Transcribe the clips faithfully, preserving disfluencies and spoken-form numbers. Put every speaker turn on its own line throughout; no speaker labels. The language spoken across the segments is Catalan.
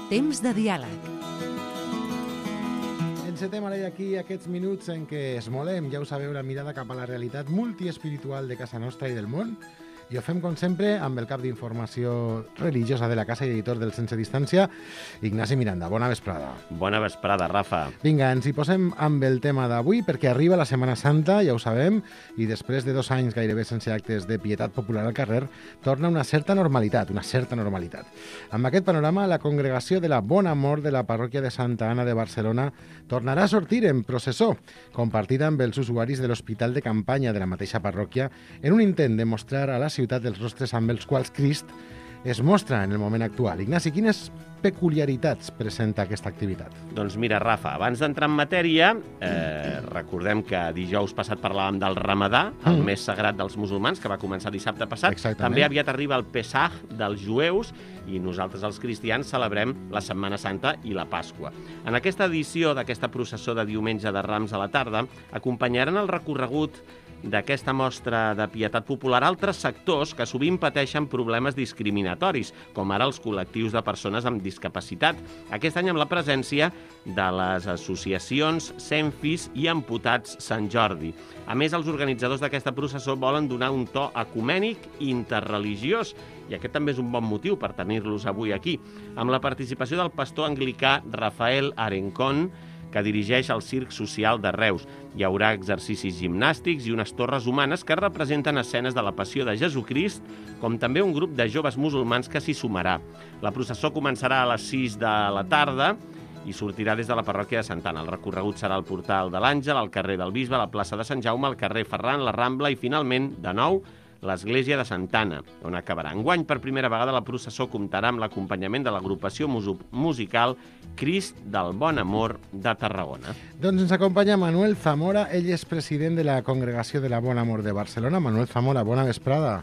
Temps de diàleg.
Encetem ara aquí aquests minuts en què esmolem, ja ho sabeu, la mirada cap a la realitat multiespiritual de casa nostra i del món. I ho fem, com sempre, amb el cap d'informació religiosa de la casa i editor del Sense Distància, Ignasi Miranda. Bona vesprada.
Bona vesprada, Rafa.
Vinga, ens hi posem amb el tema d'avui, perquè arriba la Setmana Santa, ja ho sabem, i després de dos anys gairebé sense actes de pietat popular al carrer, torna una certa normalitat, una certa normalitat. Amb aquest panorama, la congregació de la Bona Mort de la parròquia de Santa Anna de Barcelona tornarà a sortir en processó, compartida amb els usuaris de l'hospital de campanya de la mateixa parròquia, en un intent de mostrar a la ciutat dels rostres amb els quals Crist es mostra en el moment actual. Ignasi, quines peculiaritats presenta aquesta activitat?
Doncs mira, Rafa, abans d'entrar en matèria, eh, recordem que dijous passat parlàvem del Ramadà, el mm. mes sagrat dels musulmans, que va començar dissabte passat.
Exactament.
També aviat arriba el Pesach dels jueus i nosaltres, els cristians, celebrem la Setmana Santa i la Pasqua. En aquesta edició d'aquesta processó de diumenge de Rams a la tarda, acompanyaran el recorregut d'aquesta mostra de pietat popular altres sectors que sovint pateixen problemes discriminatoris, com ara els col·lectius de persones amb discapacitat. Aquest any amb la presència de les associacions Senfis i Amputats Sant Jordi. A més, els organitzadors d'aquesta processó volen donar un to ecumènic i interreligiós, i aquest també és un bon motiu per tenir-los avui aquí, amb la participació del pastor anglicà Rafael Arencón, que dirigeix el Circ Social de Reus. Hi haurà exercicis gimnàstics i unes torres humanes que representen escenes de la Passió de Jesucrist, com també un grup de joves musulmans que s'hi sumarà. La processó començarà a les sis de la tarda i sortirà des de la parròquia de Santa Anna. El recorregut serà al Portal de l'Àngel, al carrer del Bisbe, a la plaça de Sant Jaume, al carrer Ferran, la Rambla i, finalment, de nou, l'església de Santa Anna, on acabarà. Enguany, per primera vegada, la processó comptarà amb l'acompanyament de l'agrupació musical Crist del Bon Amor de Tarragona.
Doncs ens acompanya Manuel Zamora, ell és president de la Congregació de la Bon Amor de Barcelona. Manuel Zamora, bona vesprada.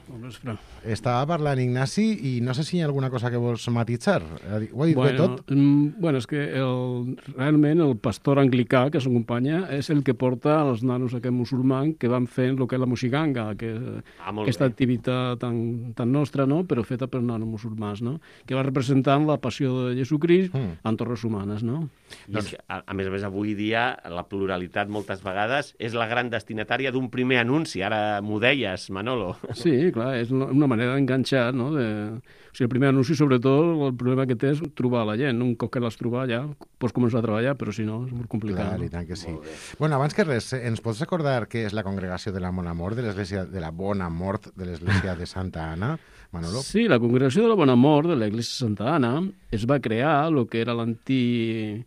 Bona vesprada.
Estava parlant Ignasi i no sé si hi ha alguna cosa que vols matitzar. Ho ha dit
bueno,
bé tot?
Mm, bueno, és que el, realment el pastor anglicà que s'acompanya és el que porta els nanos aquest musulmans que van fent el que és la moixiganga, que ah, aquesta bé. activitat tan, tan nostra, no? Però feta per nanos musulmans, no? Que va representant la passió de Jesucrist mm. en torres humanes, no?
I és que, a, a més a més, avui dia la pluralitat moltes vegades és la gran destinatària d'un primer anunci. Ara m'ho deies, Manolo.
Sí, clar, és una manera d'enganxar, no? De... O sigui, el primer anunci, sobretot, el problema que té és trobar la gent. Un cop que l'has trobat ja pots començar a treballar, però si no, és molt complicat.
Clar,
no?
I tant que sí. Bueno, abans que res, ens pots recordar què és la congregació de la Bona Mort, de l'església de la Bona Mort de l'església de Santa Anna, Manolo?
Sí, la congregació de la Bona Mort de l'església de Santa Anna es va crear el que era l'antic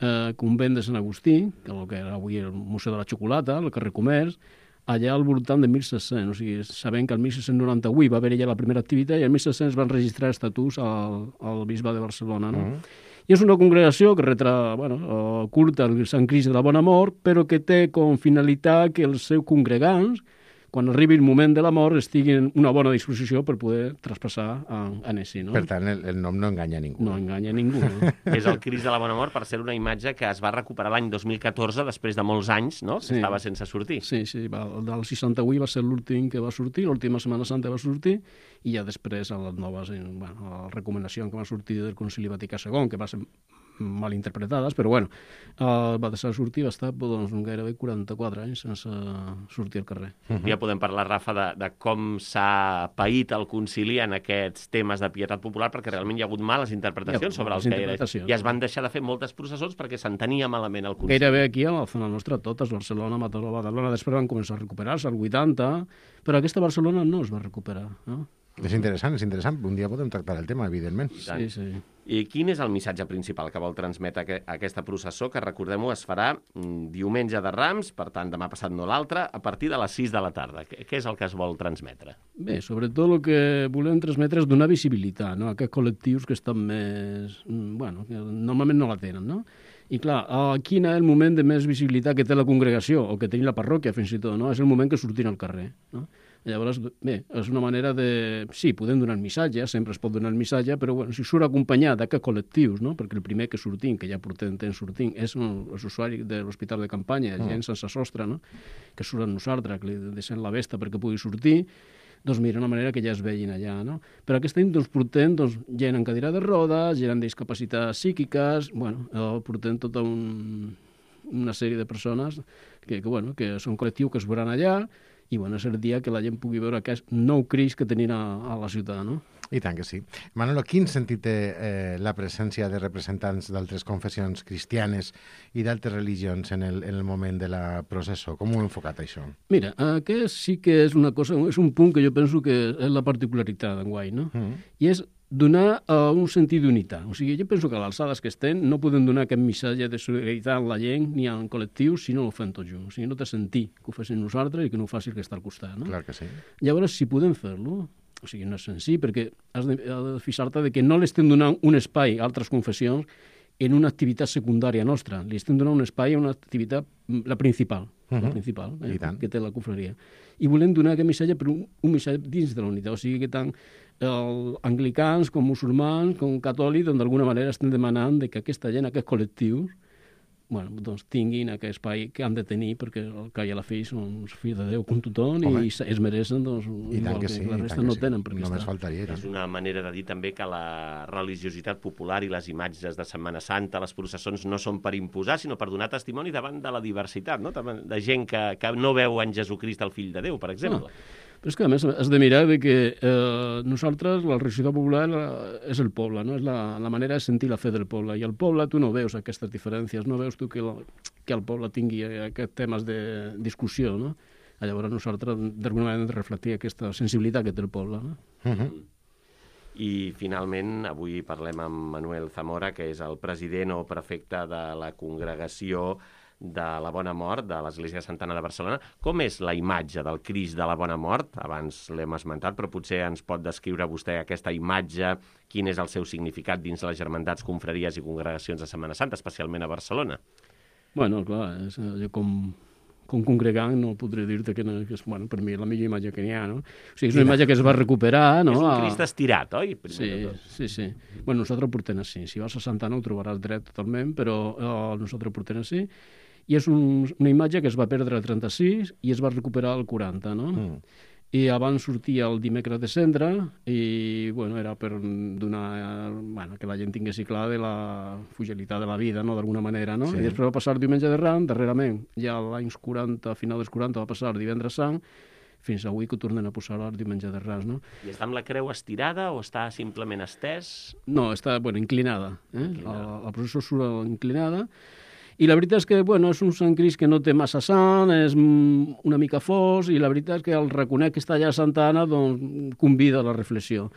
eh, convent de Sant Agustí, el que era avui el Museu de la Xocolata, el carrer Comerç, allà al voltant de mil set-cents, o sigui, sabent que el mil set-cents noranta-vuit va haver ja la primera activitat i el mil set-cents van registrar estatuts al, al bisbe de Barcelona, no? Uh -huh. I és una congregació que retra, bueno, culte al Sant Crist de la Bona Mort, però que té com finalitat que els seus congregants, quan arribi el moment de la mort, estiguin en una bona disposició per poder traspassar a, a Nessi, no?
Per tant, el, el nom no enganya ningú.
No enganya ningú, no?
És el Crist de la Bona Mort, per ser una imatge que es va recuperar l'any dos mil catorze, després de molts anys, no?
Sí.
Que estava sense sortir.
Sí, sí, va, el del seixanta-vuit va ser l'últim que va sortir, l'última Setmana Santa va sortir, i ja després a les noves, bueno, a la recomanació que va sortir del Concili Vaticà segon, que va ser mal interpretades, però bueno, uh, va deixar de sortir, va estar doncs, gairebé quaranta-quatre anys sense sortir al carrer.
Uh -huh. Ja podem parlar, Rafa, de, de com s'ha paït el concili en aquests temes de pietat popular, perquè realment hi ha hagut males interpretacions sobre els que i es van deixar de fer moltes processons perquè s'entenia malament el concili.
Gairebé aquí a la zona nostra, totes, Barcelona, Mataró, Badalona, després van començar a recuperar-se, al vuitanta, però aquesta Barcelona no es va recuperar, no?
És interessant, és interessant. Un dia podem tractar el tema, evidentment.
Sí, sí.
I quin és el missatge principal que vol transmetre aquesta processó, que, recordem-ho, es farà diumenge de Rams, per tant, demà passat no l'altre, a partir de les sis de la tarda? Què és el que es vol transmetre?
Bé, sobretot el que volem transmetre és donar visibilitat, no?, a aquests col·lectius que estan més... bueno, que normalment no la tenen, no? I clar, quin és el moment de més visibilitat que té la congregació, o que té la parròquia, fins i tot, no? És el moment que sortim al carrer, no? Llavors, bé, és una manera de... Sí, podem donar el missatge, sempre es pot donar el missatge, però bueno, si surt acompanyat d'aquests col·lectius, no? Perquè el primer que sortim, que ja portem temps sortint, és els usuaris de l'hospital de campanya, gent sense sostre, no? Que surt amb nosaltres, que li deixem la vesta perquè pugui sortir. doncs mira, una manera que ja es vegin allà, no? Però aquest any doncs, portem doncs, gent en cadira de rodes, gent amb discapacitats psíquiques, bueno, eh, portem tota un, una sèrie de persones que, que, bueno, que són col·lectius que es veuran allà i bueno, és el dia que la gent pugui veure aquest nou Crist que tenim a, a la ciutat, no?
I tant que sí. Manolo, quin sentit té eh, la presència de representants d'altres confessions cristianes i d'altres religions en el, en el moment de la processó? Com ho heu enfocat, això?
Mira, aquest sí que és una cosa, és un punt que jo penso que és la particularitat d'enguany, no? Mm. I és donar uh, un sentit d'unitat. O sigui, jo penso que a l'alçades que estem no podem donar aquest missatge de solidaritat a la gent ni al col·lectiu si no ho fem tots junts. O sigui, no té sentit que ho facin nosaltres i que no ho faci el que està al costat, no?
Clar que sí.
Llavors, si podem fer-lo, o sigui, no és senzill, perquè has de, has de fixar-te que no li estem donant un espai a altres confessions en una activitat secundària nostra. Li estem donant un espai a una activitat, la principal, uh -huh. la principal eh, que té la confraria. I volem donar aquest missatge per un, un missatge dins de la unitat. O sigui que tant els anglicans com musulmans com catòlics doncs, d'alguna manera estem demanant de que aquesta gent, aquests col·lectius, bueno, doncs tinguin aquest espai que han de tenir perquè el que hi ha a la fi són els fills de Déu com tothom Home. i es mereixen doncs,
I
igual que,
que sí,
la resta no
sí.
tenen per què
Només
estar.
faltaria.
És una manera de dir també que la religiositat popular i les imatges de Setmana Santa, les processons, no són per imposar, sinó per donar testimoni davant de la diversitat, no? De gent que, que no veu en Jesucrist el fill de Déu, per exemple.
Ah. Però és que, a més, has de mirar de que eh, nosaltres, la religiositat popular és el poble, no? És la, la manera de sentir la fe del poble. I al poble tu no veus aquestes diferències, no veus tu que, la, que el poble tingui aquests temes de discussió, no? Llavors nosaltres, d'alguna manera, hem de reflectir aquesta sensibilitat que té el poble, no?
Uh -huh.
I, finalment, avui parlem amb Manuel Zamora, que és el president o prefecte de la congregació de la Bona Mort de l'Església de Santa Anna de Barcelona. Com és la imatge del Crist de la Bona Mort? Abans l'hem esmentat, però potser ens pot descriure vostè aquesta imatge, quin és el seu significat dins les germandats, confraries i congregacions de Setmana Santa, especialment a Barcelona?
Bueno, clar, és, jo com, com congregant no podré dir-te que, no, que és, bueno, per mi la millor imatge que n'hi ha, no? O sigui, és una imatge que es va recuperar, no?
És un Crist estirat, oi?
Sí, sí, sí. Bueno, nosaltres portem així. Si vas a Santa Anna ho trobaràs dret totalment, però eh, nosaltres portem així. I és un, una imatge que es va perdre el trenta-sis i es va recuperar el quaranta, no? Mm. I abans sortia el dimecres de cendra i, bueno, era per donar, bueno, que la gent tingués clar de la fragilitat de la vida, no?, d'alguna manera, no? Sí. I després va passar el diumenge de Ram, darrerament, ja als anys quaranta, a final dels quaranta, va passar el divendres sant, fins avui que ho tornen a posar el diumenge de Rams, no?
I està amb la creu estirada o està simplement estès?
No, està, bueno, inclinada. Eh? Inclinada. La, la processó surt inclinada. I la veritat és que, bueno, és un Sant Crist que no té massa sang, és una mica fos, i la veritat és que el reconec que està allà a Santa Anna, doncs, convida a la reflexió.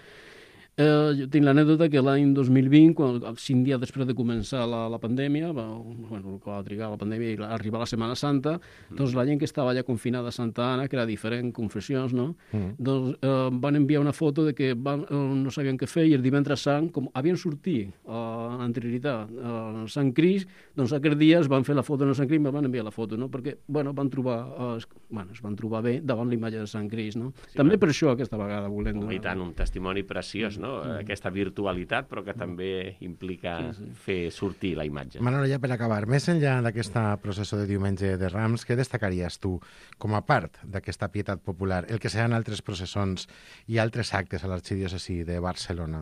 Eh, jo tinc l'anècdota que l'any dos mil vint, quan, cinc dies després de començar la, la pandèmia, va, bueno, que va trigar la pandèmia i arribar la Setmana Santa, mm. doncs la gent que estava allà confinada a Santa Anna, que era diferent confessions, no? Mm. doncs eh, van enviar una foto de que van, eh, no sabien què fer, i el divendres sant, com havien sortit eh, en anterioritat eh, Sant Crist, doncs aquells dies van fer la foto en el Sant Crist i van enviar la foto, no? Perquè, bueno, van trobar, eh, bueno, es van trobar bé davant l'imatge de Sant Crist, no? Sí, també per això aquesta vegada volem...
Oh, i tant, un testimoni preciós, no? Mm. Aquesta virtualitat, però que també implica sí, sí. fer sortir la imatge.
Manolo, ja per acabar, més enllà d'aquesta processó de diumenge de Rams, què destacaries tu com a part d'aquesta pietat popular, el que seran altres processons i altres actes a l'arxidiòcesi de Barcelona?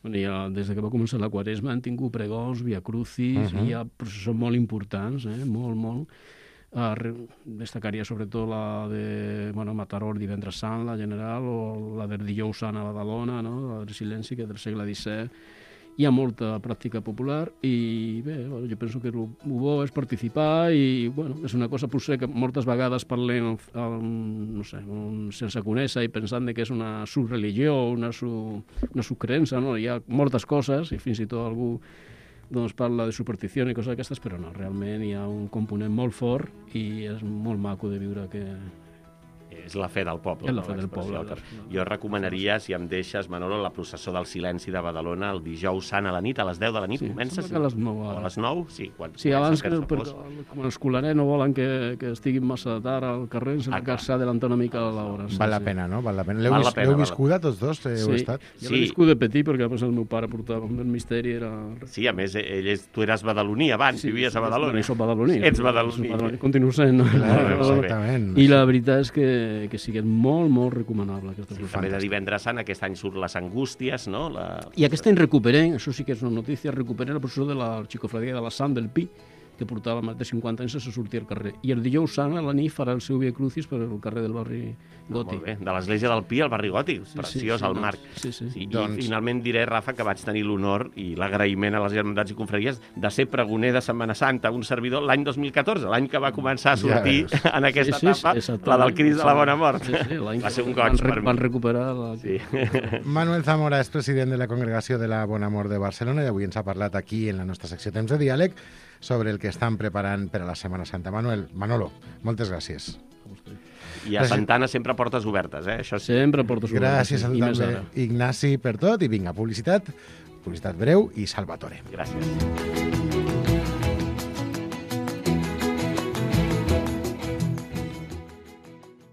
Bueno, ja, des que va començar la Quaresma han tingut pregons, via crucis, uh -huh. i hi ha processons molt importants, eh? molt, molt. Uh, destacaria sobretot la de bueno, Mataró el divendres sant, la general, o la del dijous sant a Badalona, no? La del silenci, que és del segle disset. Hi ha molta pràctica popular i bé, bueno, jo penso que el bo és participar i bueno, és una cosa potser que moltes vegades parlem um, no sé, un, sense conèixer i pensant que és una subreligió, una, su, una subcreença, no? Hi ha moltes coses i fins i tot algú doncs parla de superstició i coses d'aquestes, però no, realment hi ha un component molt fort i és molt maco de viure que...
És la fe del poble.
És la fe del poble.
Jo recomanaria, si em deixes, Manolo, la processó del silenci de Badalona el dijous sant a la nit, a les deu de la nit,
sí,
comença?
Sí, a les nou.
O a les nou? Sí, quan
sí, abans que, perquè, com els colarets no volen que, que estiguin massa tard al carrer, s'ha ah, d'adelantar una mica a l'hora. Sí,
val la
sí.
pena, no? Val la pena. L'heu vis, viscuda tots dos? Eh,
sí,
estat?
jo l'he viscut de petit perquè després el meu pare portava el misteri. Era...
Sí, a més, ell és, tu eres badaloní abans,
sí,
vivies a Badalona.
Sí, soc badaloní.
Ets badaloní.
Continuo sent.
Clar, exactament.
I la veritat és que que, que sigui molt, molt recomanable. Aquesta
Sí, també de Divendres Sant, aquest any surt les Angústies, no? La...
I aquest any recuperem, això sí que és una notícia, recuperem la processó de la xicofradia de la Sant del Pi, que portava més de cinquanta anys sense sortir al carrer. I el dijous sant a la nit farà el seu Via Crucis per al carrer del barri Gòtic.
Molt bé, de l'església del Pi al barri Gòtic,
Sí,
preciós
sí, sí,
el
doncs,
marc.
sí, sí.
I
Doncs-
finalment diré, Rafa, que vaig tenir l'honor i l'agraïment a les germandats i confraries de ser pregoner de Setmana Santa, un servidor, l'any dos mil catorze, l'any que va començar a sortir
Ja
en aquesta
Sí, sí,
etapa,
exactament.
la del Crist de la Bona Mort.
Sí, sí, l'any
Va
que
ser un
van
goig
re-
per
Van
mi.
recuperar la...
Sí.
Manuel Zamora és president de la Congregació de la Bon Amor de Barcelona i avui ens ha parlat aquí en la nostra secció Temps de Diàleg sobre el que estan preparant per a la Setmana Santa. Manuel, Manolo, moltes gràcies.
I a Santana sempre portes obertes, eh? Això sí.
Sempre porto sobre
Gràcies a tu
i més
també,
ara.
Ignasi, per tot. I vinga, publicitat, publicitat breu i Salvatore.
Gràcies.